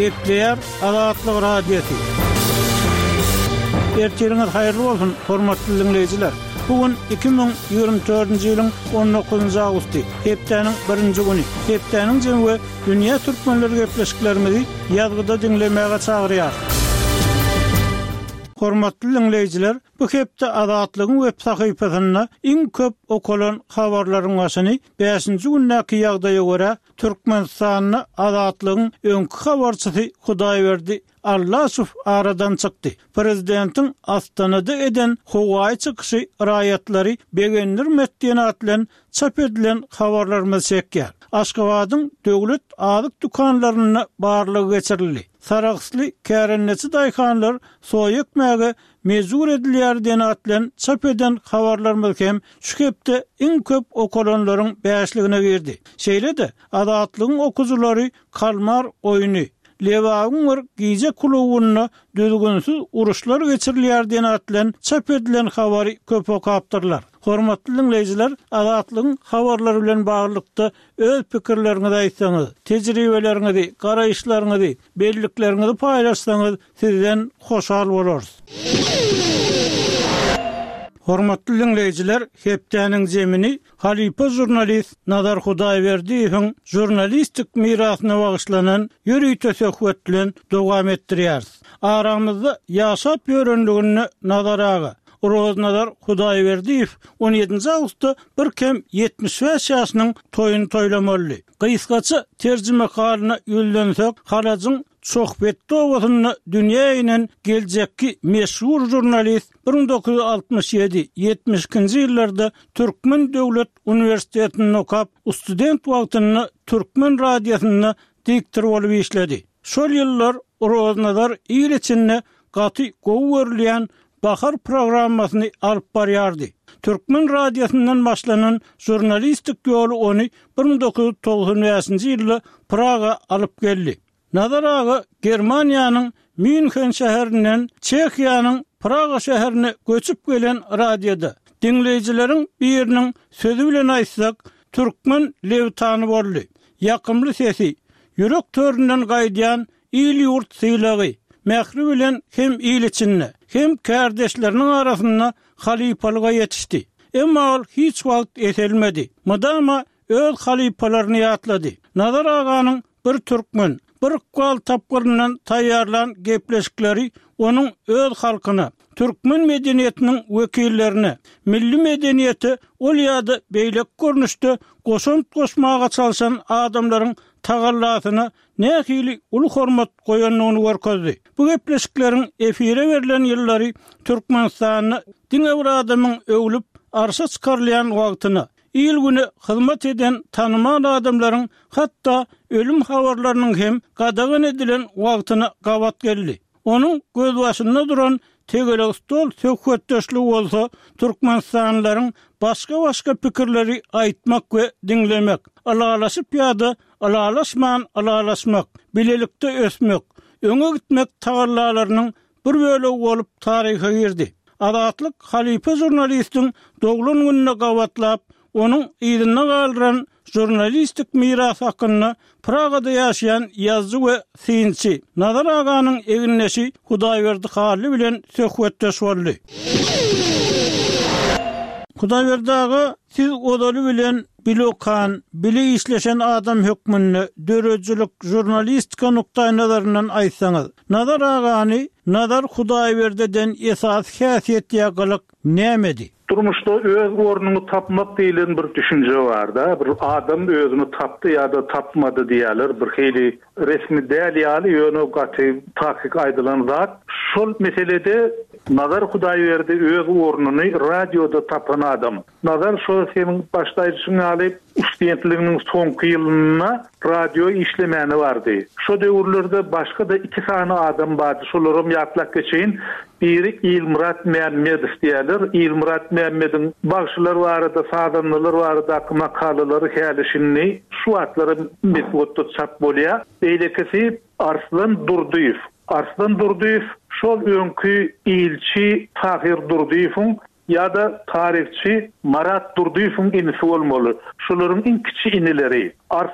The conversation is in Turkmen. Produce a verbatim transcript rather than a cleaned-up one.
Gepleýär Azatlyk Radiosy. Ertiriňiz haýyrly bolsun, hormatly diňleýjiler. Bu gün iki müň ýigrimi dördünji ýylyň on dokuzynjy awgusty, hepdäniň birinji güni. Hepdäniň jemi we dünýä türkmenleri gepleşiklerimizi ýazgyda diňlemäge çagyrýar. Hormatly diňleýjiler, bu hepde Azatlygyň web sahypasynda iň köp okalan habarlaryň başyny bäşinji gündäki ýagdaýa görä Türkmenistanda Azatlygyň öňki habarçysy Hudaýberdi Allaşow aradan çykdy. Prezidentiň Astanada eden howaýy çykyşy raýatlary begendirmedi diýen at bilen çap edilen habarlarymyz çekýär. Aşgabadyň döwlet azyk dükanlarynda barlygy geçirildi. Saragsly kärendeçi daýhanlar soýa ekmäge mejbur edilýär diýen at bilen çap eden habarlarymyz hem şu hepde iň köp okalanlaryň bäşligine girdi. Şeýle-de Azatlygyň okujylary Kalmar oýny, Lebabyň bir gije klubunda düzgünsiz uruşlar geçirilýär diýen at bilen çap edilen habary köp okapdyrlar. Hormatly diňleýjiler, Azatlygyň habarlary bilen baglylykda öz pikirleriňizi aýtsaňyz, tejribeleriňizi, garaýyşlaryňyzy, bellikleriňizi paýlaşsaňyz, sizden hoşal bolarys. Hormatly diňleýjiler, hepdäniň zemini halypa žurnalist Nazar Hudaýberdiýewiň žurnalistik mirasyna bagyşlanan ýörite söhbet bilen dowam etdirýäris. Aramyzda ýaşap ýörenliginde Nazar aga, Roznazar Hudaýberdiýew on ýedinji awgustda bir kem ýetmiş bäş ýaşynyň toýuny toýlamaly. Gysgaça terjime halyna ýüzlensek, Halajyň Çohbetde obasynda dünýä inen geljekki meşhur žurnalist bir müň dokuz ýüz altmyş ýedi, ýetmiş ikinji ýyllarda Türkmen Döwlet Uniwersitetinde okap, student wagtynda Türkmen radiosynda diktor bolup işledi. Şol ýyllar Roznazar il içinde gaty gowy görülýän Bahar programmasyny alyp barýardy. Türkmen radiosyndan başlanan žurnalistik ýoly ony bir müň dokuz ýüz togsan bäşinji ýylda Praga alyp geldi. Nazar aga Germaniýanyň Münhen şäherinden Çehiýanyň Praga şäherine göçüp gelen radioda diňleýjileriň biriniň sözi bilen aýtsak, türkmen lewtany boldy. Ýakymly sesi, ýürek töründen gaýdýan il-ýurt sylagy, mähri bilen hem il içinde, hem kärdeşleriniň arasynda halypalyga ýetişdi. Emma ol hiç wagt eselmedi. Mydama öz halypalaryny ýatlady. Nazar aganyň bir türkmen, bir ykbal tapgyryndan taýýarlan gepleşikleri onuň öz halkyna, türkmen medeniýetiniň wekillerine, milli medeniýete ol ýa-da beýleki görnüşde goşant goşmaga çalşan adamlaryň tagallasyna nähili uly hormat goýandygyny görkezdi. Bu gepleşikleriň efire berlen ýyllary Türkmenistanda diňe bir adamyň öwlüp arşa çykarylýan wagtyna, il güne hyzmat eden tanymal adamlaryň hatda ölüm habarlarynyň hem gadagan edilen wagtyna gabat geldi. Onuň gözbaşynda duran tegelek stol söhbetdeşligi bolsa Türkmenistanlylaryň başga-başga pikirleri aýtmak we diňlemek, ylalaşyp ýa-da ylalaşman ylalaşmak, bilelikde ösmek, öňe gitmek tagallalarynyň bir bölegi bolup taryha girdi. Azatlyk halypa žurnalistiň doglan gününe gabatlap, onuň yzynda galdyran žurnalistik miras hakynda Pragada ýaşaýan ýazyjy we synçy Nazar aganyň egindeşi Hudaýberdi Hally bilen söhbetdeş boldy. Hudaýberdi aga, siz ozaly bilen bilokan, bile işleşen adam hökmünde döredijilik žurnalistika nukdaý nazaryndan aýtsaňyz, Nazar agany Nazar Hudaýberdiden esasy häsiýet ýa gylyk nämedi? Durmuşda öz ornuňy tapmak diýlen bir düşünje bar-da, bir adam özüni tapdy ýa-da tapmady diýerler, bir hili resmi däl ýaly ýöne gaty takyk aýdylan zat. Şol meselede Nazar Hudaýberdi öz ornuny radioda tapan adam. Nazar şol seniň başda aýdyşyň ýaly studentliginiň soňky ýylynda radio işlemäne bardy. Şo döwürlerde başga-da iki sany adam bardy, şolaram ýatlap geçeýin. Biri Ilmurat Mämmedow diýerler. Ilmurat Mämmediň bagşylar barada, sazandalar baradaky makalalary häli şindi şu wagtlara metbugatda çap bolýar. Beýlekisi Arslan Durdyýew. Arslan Durdyýew şol öňki ilçi Tahir Durdyýewiň ýa-da taryhçy Marat Durdyýewiň inisi bolmaly. Şolaryň iň kiçi inileri. Arslan